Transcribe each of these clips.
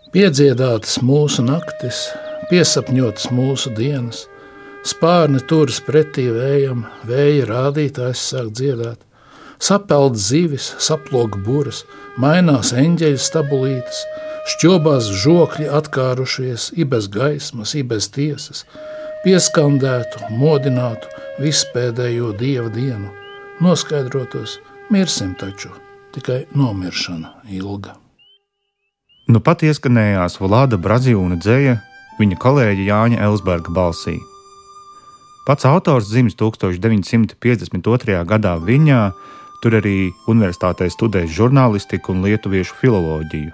Piedziedātas mūsu naktis, piesapņotas mūsu dienas, spārni turas pretī vējam, vēja rādītājs sāk dziedāt, sapeld zivis, saplok buras, mainās eņģeļu stabulītes, šķobās žokļi atkārušies, i bez gaismas, i bez tiesas, pieskandētu, modinātu vispēdējo dieva dienu, noskaidrotos, mirsim taču, tikai nomiršana ilga. Nu pat ieskanējās Vlada Braziūna dzeja viņa kolēģa Jāņa Elsberga balsī. Pats autors dzimis 1952. gadā Viļņā, tur arī universitātē studējis žurnālistiku un lietuviešu filoloģiju.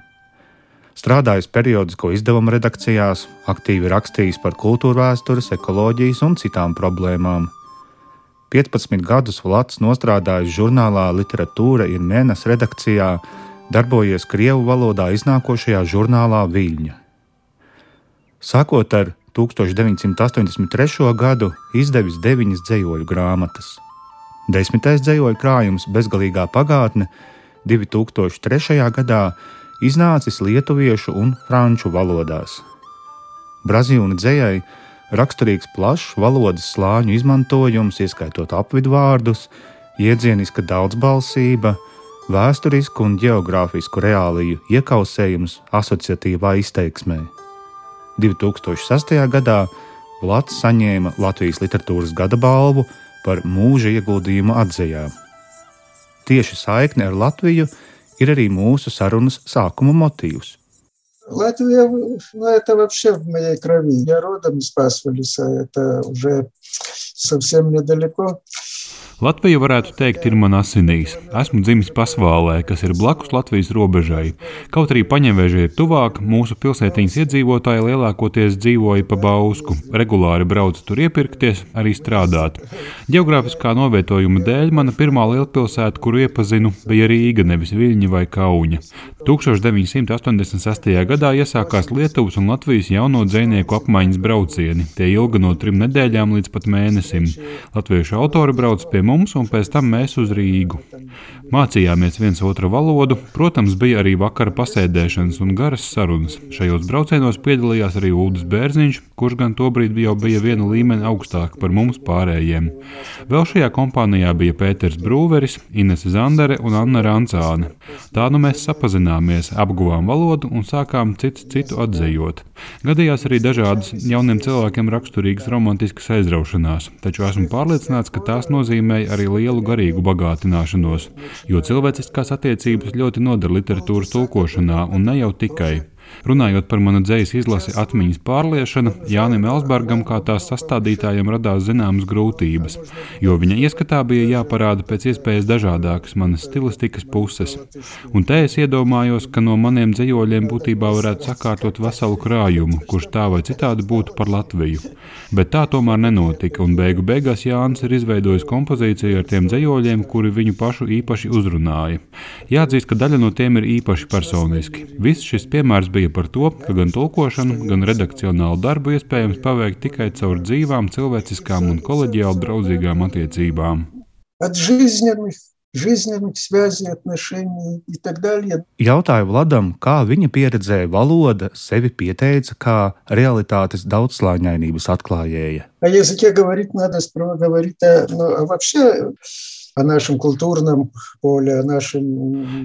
Strādājis periodisko izdevumu redakcijās, aktīvi rakstījis par kultūrvēstures, ekoloģijas un citām problēmām. 15 gadus Vlads nostrādājis žurnālā Literatūra ir mēnes redakcijā, darbojies krievu valodā iznākošajā žurnālā Viļņa. Sākot ar 1983. gadu izdevis 9 dzejoļu grāmatas. 10. dzejoļu krājums Bezgalīgā pagātne 2003. gadā iznācis lietuviešu un franču valodās. Braziūna dzejai raksturīgs plašs valodas slāņu izmantojums, ieskaitot apvidvārdus, iedzieniska daudzbalsība, vēsturisku un ģeogrāfisku reāliju iekausējums asociatīvā izteiksmē. 2006. gadā Vlads saņēma Latvijas literatūras gada balvu par mūža ieguldījumu atzejā. Tieši saikne ar Latviju ir arī mūsu sarunas sākuma motīvs. Латвия, это вообще в моей крови. Я родом из Пасвалиса, это уже совсем недалеко. Latvija, varētu teikt, ir man asinīs. Esmu dzimis Pasvālē, kas ir blakus Latvijas robežai. Kaut arī Paņeveža ir tuvāk, mūsu pilsētiņas iedzīvotāji lielākoties dzīvoja pa Bausku. Regulāri brauca tur iepirkties, arī strādāt. Ģeogrāfiskā novietojuma dēļ mana pirmā lielpilsēta, kuru iepazinu, bija Rīga, nevis Viļņa vai Kauņa. 1986. gadā iesākās Lietuvas un Latvijas jauno dzejnieku apmaiņas braucieni. Tie ilga no 3 nedēļām līdz pat mēnesim. Latviešu autori brauc pie mums un pēc tam mēs uz Rīgu. Mācījāmies viens otru valodu, protams, bija arī vakara pasēdēšanas un garas sarunas. Šajos braucienos piedalījās arī Uldis Bērziņš, kurš gan tobrīd jau bija viena līmeni augstāk par mums pārējiem. Vēl šajā kompānijā bija Pēters Brūveris, Inese Zandere un Anna Rancāne. Tā nu mēs sapazināmies, apguvām valodu un sākām citu atzejot. Gadījās arī dažādas jauniem cilvēkiem raksturīgas romantiskas aizraušanās, taču esmu pārliecināts, ka tās nozīmēja arī lielu garīgu bagātināšanos, jo cilvēciskās attiecības ļoti noder literatūras tulkošanā un ne jau tikai. Runājot par manu dzejas izlasi Atmiņas pārliešana, Jānim Elsbergam kā tās sastādītājiem radās zināmas grūtības, jo viņa ieskatā bija jāparāda pēc iespējas dažādākas manas stilistikas puses. Un te es iedomājos, ka no maniem dzejoļiem būtībā varētu sakārtot veselu krājumu, kurš tā vai citādi būtu par Latviju. Bet tā tomēr nenotika, un beigās Jānis ir izveidojis kompozīciju ar tiem dzejoļiem, kuri viņu pašu īpaši uzrunāja. Jāatzīst, ka daļa no tiem ir īpaši personiski. Viss šis piemērs bija par to, ka gan tulkošanu, gan redakcionālu darbu iespējams paveikt tikai caur dzīvām, cilvēciskām un koleģiāli draudzīgām attiecībām. Jautāju Vladam, kā viņa pieredzēja valoda sevi pieteica kā realitātes daudzslāņainības atklājēja.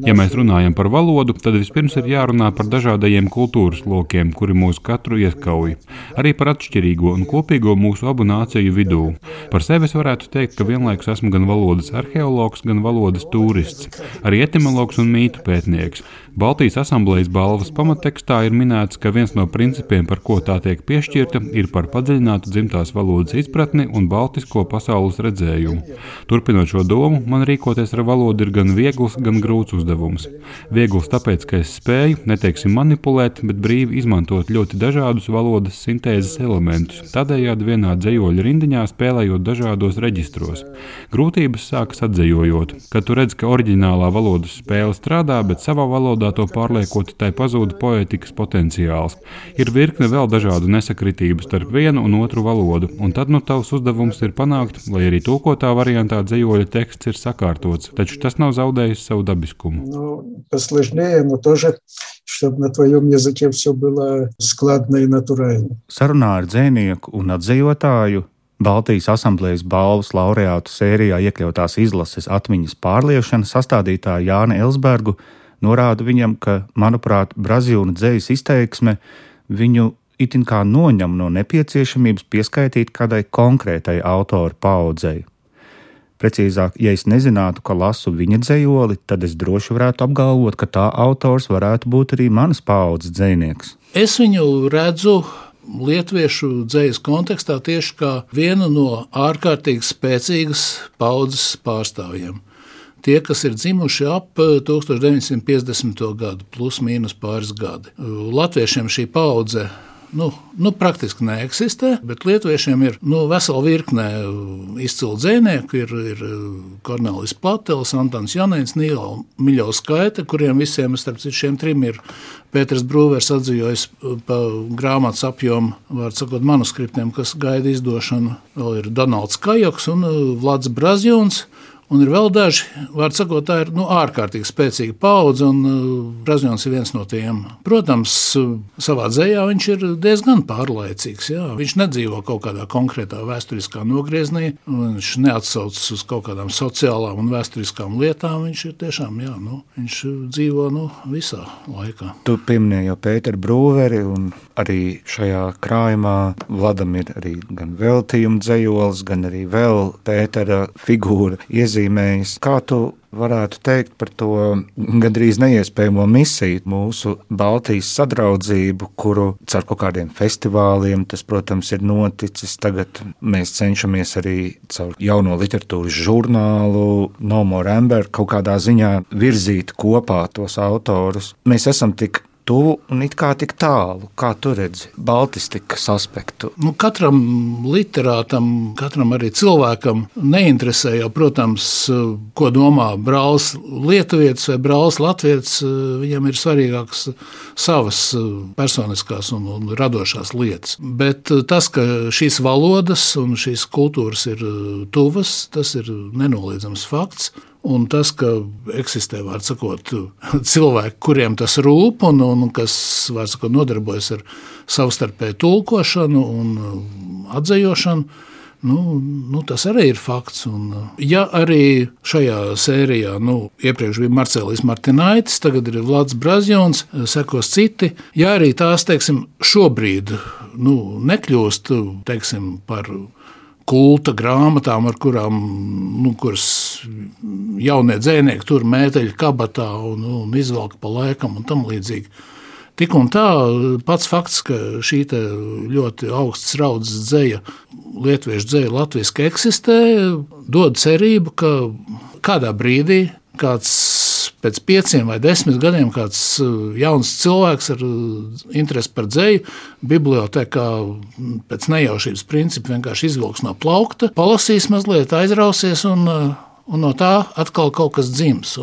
Ja mēs runājam par valodu, tad vispirms ir jārunā par dažādajiem kultūras lokiem, kuri mūs katru ieskauj. Arī par atšķirīgo un kopīgo mūsu abu nāciju vidū. Par sevi es varētu teikt, ka vienlaikus esmu gan valodas arheologs, gan valodas turists, arī etimologs un mītu pētnieks. Baltijas asamblejas balvas pamattekstā ir minēts, ka viens no principiem, par ko tā tiek piešķirta, ir par padziļinātu dzimtās valodas izpratni un baltisko pasaules redzējumu. Turpinot šo domu, man rīkoties ar valodu ir gan viegls, gan grūts uzdevums. Viegls tāpēc, ka es spēju, neteiksim manipulēt, bet brīvi izmantot ļoti dažādus valodas sintēzes elementus, tādējādi vienā dzejoļa rindiņā spēlējot dažādos reģistros. Grūtības sākas atzejojot, kad tu redz, ka oriģinālā valodas spēle strādā, bet savā valodā to pārliekot, tai pazūda poētikas potenciāls. Ir virkne vēl dažādu nesakritību starp vienu un otru valodu, un tad tavs uzdevums ir panākt, lai arī tulkotā variantā dzejoļa teksts teksts ir sakārtots, taču tas nav zaudējis savu dabiskumu. Посложнее, но тоже, чтобы на твоем языке все было складно и натурально. Sarunā ar dzejnieku un atdejotāju Baltijas asamblējas balvas laureātu sērijā iekļautās izlases atmiņas pārliešana sastādītāja Jāni Elsbergu norāda viņam, ka, manuprāt, Brazīļu dzejas izteiksme viņu itin kā noņem no nepieciešamības pieskaitīt kādai konkrētai autora paudzei. Precīzāk, ja es nezinātu, ka lasu viņa dzejoli, tad es droši varētu apgalvot, ka tā autors varētu būt arī manas paudzes dzejnieks. Es viņu redzu lietuviešu dzejas kontekstā tieši kā vienu no ārkārtīgi spēcīgas paudzes pārstāvjiem. Tie, kas ir dzimuši ap 1950. gadu, plus mīnus pāris gadi. Latviešiem šī paudze praktiski neeksistē, bet lietuviešiem ir vesela virkne izcilu dzejnieku, ir Kornelis Platels, Antons Janēns, Nīla Miļovs Skaita, kuriem visiem, starp citu, šiem trim ir Pēters Brūvers atzījis pa grāmatas apjomu, vārds sakot, manuskriptiem, kas gaida izdošanu. Vēl ir Donalds Kajoks un Vlads Brazjons. Un ir vēl daži, vārds sakot, tā ir ārkārtīgi spēcīga paudze, un Brazjons ir viens no tiem. Protams, savā dzejā viņš ir diezgan pārlaicīgs. Jā. Viņš nedzīvo kaut kādā konkrētā vēsturiskā nogrieznī, viņš neatsaucas uz kaut kādām sociālām un vēsturiskām lietām. Viņš ir tiešām, viņš dzīvo visā laikā. Tu pieminēji jau Pēteru Brūveri, un arī šajā krājumā Vladam ir arī gan veltījuma dzejolis, gan arī vēl Pētera figūra iezīmējis. Kā tu varētu teikt par to gandrīz neiespējamo misiju, mūsu Baltijas sadraudzību, kuru caur kaut kādiem festivāliem, tas, protams, ir noticis. Tagad mēs cenšamies arī caur jauno literatūras žurnālu No More Amber kaut kādā ziņā virzīt kopā tos autorus. Mēs esam tik tuvu un it kā tik tālu. Kā tu redzi baltistikas aspektu? Katram literātam, katram arī cilvēkam neinteresē jau, protams, ko domā brālis lietuvietis vai brālis latvietis. Viņam ir svarīgākas savas personiskās un radošās lietas. Bet tas, ka šīs valodas un šīs kultūras ir tuvas, tas ir nenoliedzams fakts. Un tas, ka eksistē, vārds sakot, cilvēki, kuriem tas rūp un kas, vārds sakot, nodarbojas ar savstarpēju tulkošanu un atzejošanu, tas arī ir fakts. Un, ja arī šajā sērijā, iepriekš bija Marcelijs Martinaitis, tagad ir Vlads Brazjons, sekos citi, ja arī tās, šobrīd, nekļūst, par kulta grāmatām, ar kurām, kuras jaunie dzejnieki tur mēteļu kabatā un izvelk pa laikam un tam līdzīgi. Tik un tā, pats fakts, ka šī ļoti augsts raudzes dzeja, lietuviešu dzeja latviski eksistē, dod cerību, ka kādā brīdī kāds pēc 5 vai 10 gadiem kāds jauns cilvēks ar interesi par dzeju bibliotēkā pēc nejaušības principa vienkārši izvilks no plaukta, palasīs mazliet, aizrausies un no tā atkal kaut kas dzims.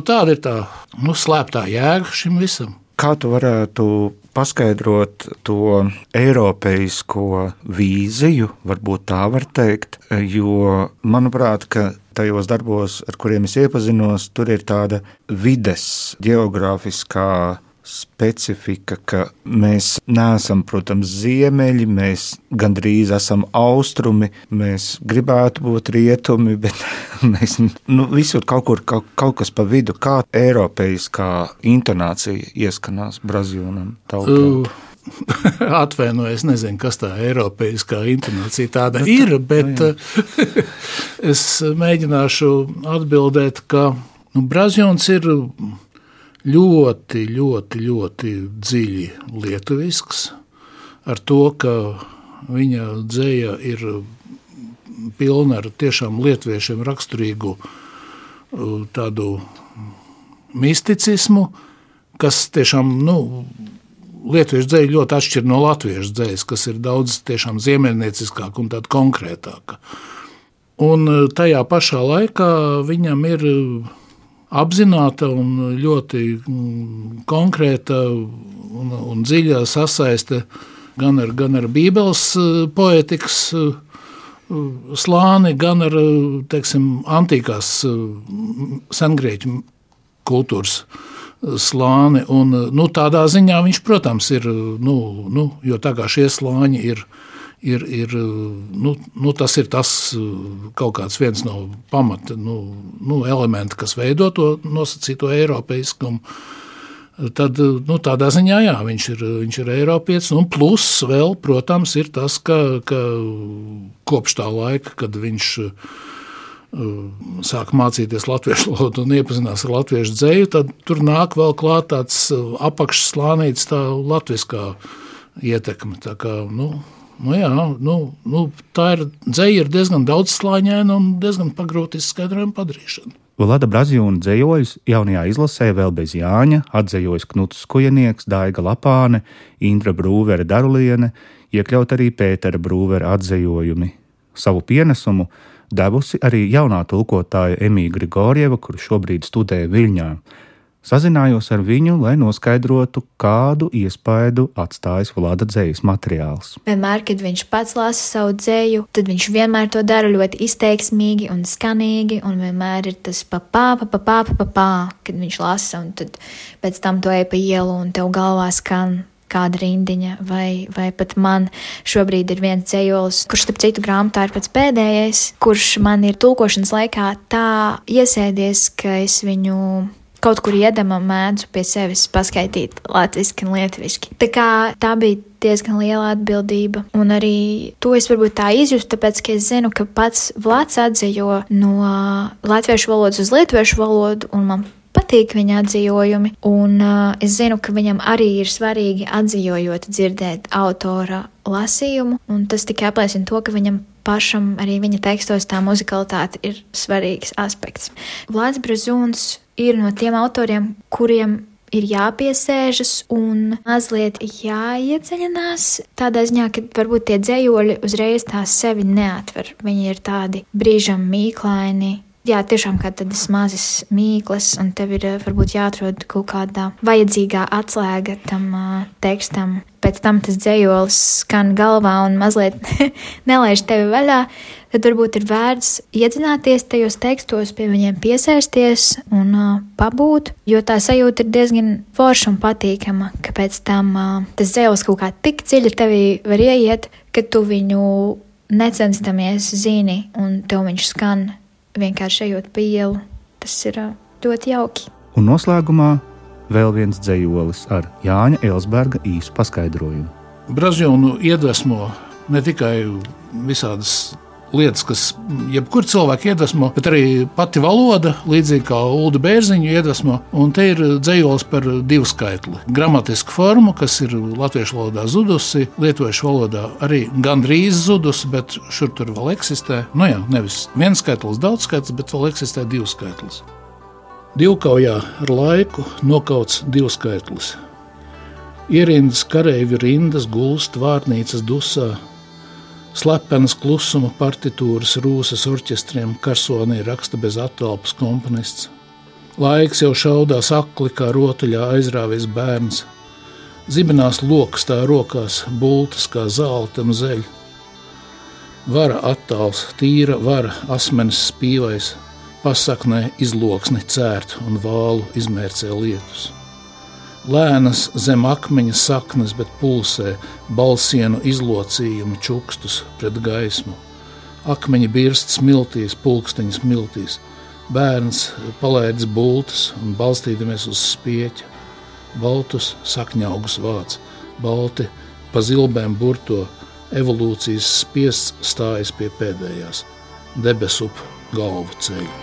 Tāda ir tā slēptā jēga šim visam. Kā tu varētu paskaidrot to eiropeisko vīziju, varbūt tā var teikt, jo, manuprāt, ka tajos darbos, ar kuriem es iepazinos, tur ir tāda vides geogrāfiskā specifika, ka mēs neesam, protams, ziemeļi, mēs gandrīz esam austrumi, mēs gribētu būt rietumi, bet mēs visur kaut kas pa vidu, kā eiropeiskā intonācija ieskanās Brazjūnam tautā. Atvainojies, nezinu, kas tā eiropeiskā intonācija tāda ir, bet es mēģināšu atbildēt, ka Brazjons ir ļoti, ļoti, ļoti dziļi lietuvisks, ar to, ka viņa dzeja ir pilna ar tiešām lietuviešiem raksturīgu tādu misticismu, kas tiešām, lietuviešu dzeja ļoti atšķir no latviešu dzejas, kas ir daudz tiešām ziemeļnieciskāka un tāda konkrētāka. Un tajā pašā laikā viņam ir apzināta un ļoti konkrēta un dziļa sasaiste gan ar Bībeles poētikas slāni, gan ar, teiksim, antīkās sengrieķu kultūras slāni. Un, tādā ziņā viņš, protams, ir, jo tā kā šie slāņi ir, tas ir tas kaut kāds viens no pamata elementa, kas veido to nosacīto eiropeiskumu. Tad, tādā ziņā, jā, viņš ir eiropietis, un plus vēl, protams, ir tas, ka kopš tā laika, kad viņš sāk mācīties latviešu valodu un iepazinās ar latviešu dzeju, tad tur nāk vēl klāt tāds apakšslānīts, tā latviskā ietekme. Tā kā, tā ir dzeja ir diezgan daudzslāņaina un diezgan pagrūti izskaidrojuma padarīšana. Vlada Braziūna dzejoļus jaunajā izlasē vēl bez Jāņa atdzejojas Knuts Skujenieks, Daiga Lapāne, Indra Brūvere Daruliene, iekļaut arī Pētera Brūvera atzejojumi. Savu pienesumu devusi arī jaunā tulkotāja Emīja Grigorjeva, kur šobrīd studē Viļņā. Sazinājos ar viņu, lai noskaidrotu, kādu iespaidu atstājis Vlada dzejas materiāls. Vienmēr, kad viņš pats lasa savu dzeju, tad viņš vienmēr to dara ļoti izteiksmīgi un skanīgi, un vienmēr ir tas papā, kad viņš lasa, un tad pēc tam to ej pa ielu, un tev galvā skan kāda rindiņa, vai pat man šobrīd ir viens dzejolis, kurš, starp citu, grāmatā ir pats pēdējais, kurš man ir tulkošanas laikā tā iesēdies, ka es viņu kaut kur iedama mēdzu pie sevis paskaitīt latviski un lietviski. Tā bija diezgan liela atbildība, un arī to es varbūt tā izjustu, tāpēc, ka es zinu, ka pats Vlads atzejo no latviešu valodas uz lietuviešu valodu, un man patīk viņa atzījojumi, un es zinu, ka viņam arī ir svarīgi atzījojot dzirdēt autora lasījumu, un tas tikai apliecina to, ka viņam pašam arī viņa tekstos tā muzikalitāte ir svarīgs aspekts. Vlads Braziūns ir no tiem autoriem, kuriem ir jāpiesēžas un mazliet jāiedziļinās tādā ziņā, ka varbūt tie dzejoļi uzreiz tās sevi neatver. Viņi ir tādi brīžam mīklaini. Jā, tiešām kā tādas mazas mīklas, un tev ir varbūt jāatrod kaut kādā vajadzīgā atslēga tam tekstam. Pēc tam tas dzejolis skan galvā un mazliet nelaiž tevi vaļā, tad varbūt ir vērts iedzināties tajos tekstos, pie viņiem piesēsties un pabūt, jo tā sajūta ir diezgan forša un patīkama, ka pēc tam tas dzejolis kaut kā tik dziļi tevī var ieiet, ka tu viņu necenstamies zini un tev viņš skan vienkārši ejot pa ielu. Tas ir ļoti jauki. Un noslēgumā vēl viens dzejolis ar Jāņa Elsberga īsu paskaidrojumu. Braziūnu iedvesmo ne tikai visādas lietas, kas jebkur cilvēku iedvesmo, bet arī pati valoda, līdzīgi kā Ulda Bērziņu iedvesmo, un te ir dzejolis par divskaitli. Gramatisku formu, kas ir latviešu valodā zudusi, lietuviešu valodā arī gandrīz zudusi, bet šur tur vēl eksistē. Nevis vienskaitlis, daudzskaitlis, bet vēl eksistē divskaitlis. Divkaujā ar laiku nokauts divskaitlis. Ierindas kareivi rindas gulst vārnīcas dusā, slepenas klusuma partitūras rūsas orķestriem karsonī raksta bez attelpas komponists. Laiks jau šaudās akli, kā rotaļā aizrāvies bērns. Zibenās lokas tā rokās, bultas kā zelta un zeļ. Vara attāls, tīra vara, asmenis spīvais, pasaknē izloksni cērt un vālu izmērcē lietus. Lēnas zem akmeņa saknes, bet pulsē balsienu izlocījumu čukstus pret gaismu. Akmeņi birst smiltīs, pulksteņi smiltīs. Bērns palaidis bultas un balstīdamies uz spieķa. Baltus sakņaugus vāc, balti pa zilbēm burto, evolūcijas spiests stājas pie pēdējās. Debesup galvu ceļu.